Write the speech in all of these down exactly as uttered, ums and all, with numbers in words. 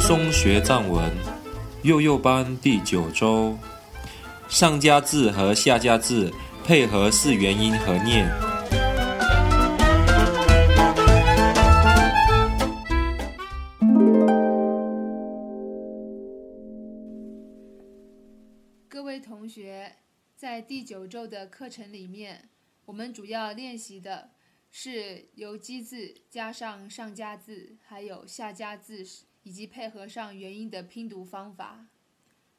松学藏文幼幼班第九周，上加字和下加字配合四元音合念。各位同学，在第九周的课程里面，我们主要练习的是由基字加上上加字，还有下加字，以及配合上元音的拼读方法。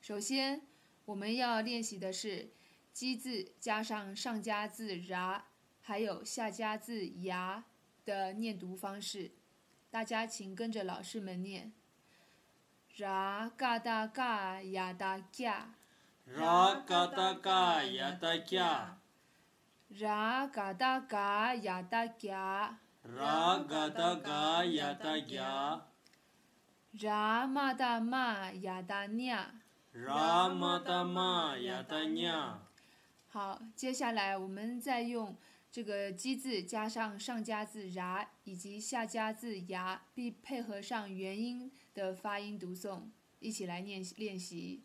首先，我们要练习的是基字加上上加字ra，还有下加字呀的念读方式。大家请跟着老师们念：ra ga da ga ya da ga。ra ga da ga ya da ga，ra ga da ga ya da ga，ra ga da ga ya da ga，ra ma da ma ya da nya，ra ma da ma ya da nya。好，接下来我们再用这个基字加上上加字ra以及下加字呀，并配合上元音的发音读诵，一起来念练习。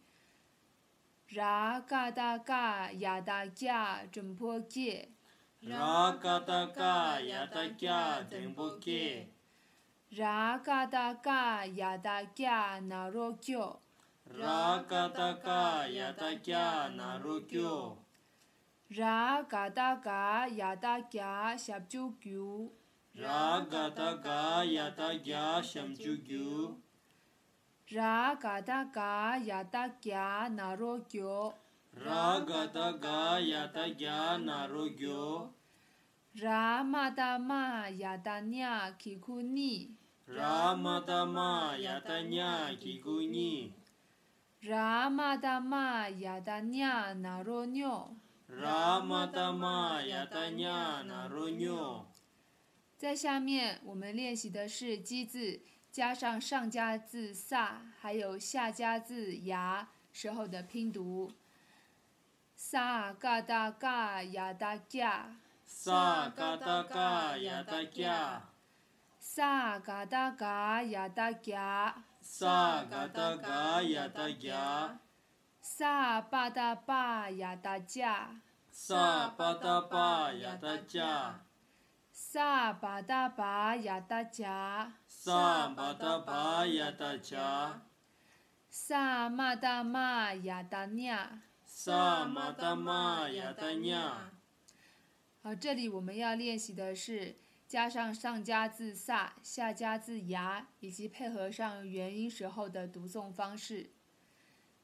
ra ga da ga ya da ga zhen po ge，ra ga da ga ya da ga zhen po ge，ra ga da ga ya da ga na ro gyo，ra ga da ga ya da ga na ro gyo，ra ga da ga ya da ga shap ju gyu，ra ga da ga ya da ga shap ju gyu，ra ga da ga ya da ga na ro gyo，ra ga da ga ya da ga na ro gyo，ra ma da ma ya da nya ki ku ni，ra ma da ma ya da nya ki ku ni，ra ma da ma ya da nya na ro nyo，ra ma da ma ya da nya na ro nyo。在下面我们练习的是基字加上上加字sa，还有下加字呀时候的拼读。sa ga da ga ya da ga，sa ga da ga ya da ga，sa ga da ga ya da ga，sa ga da ga ya da ga，sa ba da ba ya da ja，sa ba da ba ya da ja，sa ba da ba ya da ja，sa ba da ba ya da ja，sa ma da ma ya da nya，sa ma da ma ya da nya。好，这里我们要练习的是加上上加字sa，下加字呀，以及配合上元音时候的读诵方式。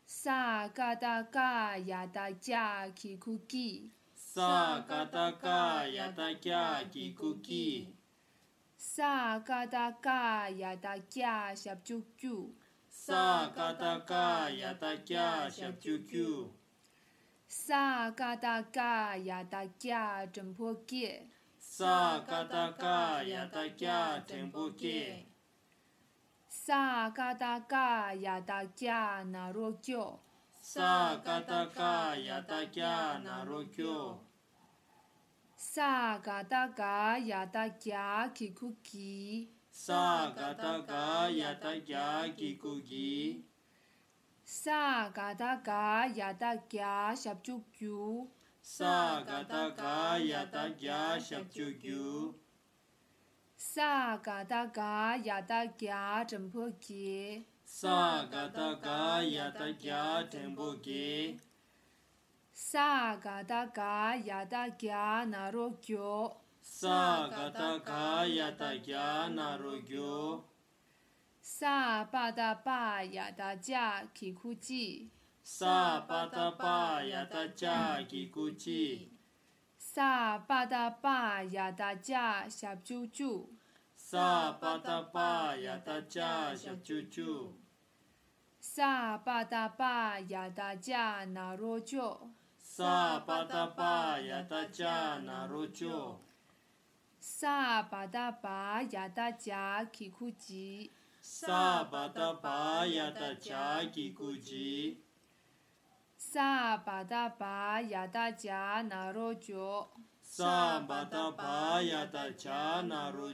sa ga da ga ya da ja ki ku gi，sa ga da ga ya da ga ki ku gi，sa ga da ga ya da ga shap ju gyu，sa ga da ga ya da ga shap ju gyu，sa ga da ga ya da ga zhen po ge，sa ga da ga ya da ga zhen po ge，sa ga da ga ya da ga na ro gyo，sa ga da ga ya da ga na ro gyo，sa ga da ga ya da ga ki ku gi，sa ga da ga ya da ga ki ku gi，sa ga da ga ya da ga shap ju gyu，sa ga da ga ya da ga shap ju gyu，sa ga da ga ya da ga zhen po ge，sa ga da ga ya da ga zhen po ge，sa ga da ga ya da ga na ro gyo，sa ga da ga ya da ga na ro gyo，sa ba da ba ya da ja ki ku ji，sa ba da ba ya da ja ki ku ji，sa ba da ba ya da ja shap ju gyu，sa ba da ba ya da ja shap ju gyu，sa ba da ba ya da ja na ro gyo，sa ba da ba ya da ja na ro gyo，sa ba da ba ya da ja ki ku ji，sa ba da ba ya da ja ki ku ji，sa ba da ba ya da ja na ro gyo，sa ba da ba ya da ja na ro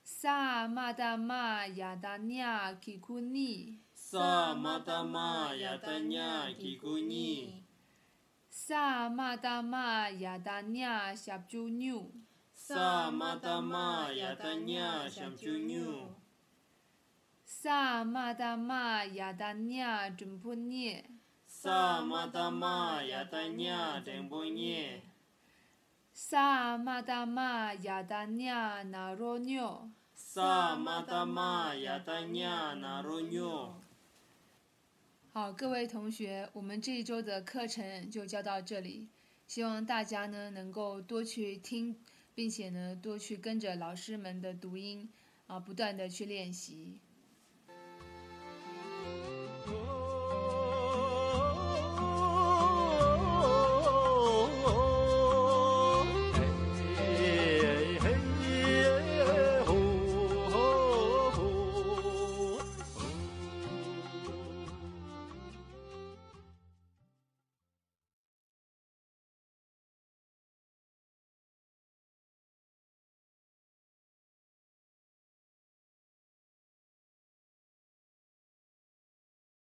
萨玛达玛亚达尼亚基库尼，萨玛达玛亚达尼亚基库尼，萨玛达玛亚达尼亚夏朱纽，萨玛达玛亚达尼亚夏朱纽，萨玛达玛亚达尼亚真普涅，萨玛达玛亚达尼亚真普涅，萨玛达玛亚达尼亚那罗纽。萨玛达玛亚达尼亚那罗纽。好，各位同学，我们这一周的课程就教到这里。希望大家呢能够多去听，并且呢多去跟着老师们的读音啊，不断的去练习。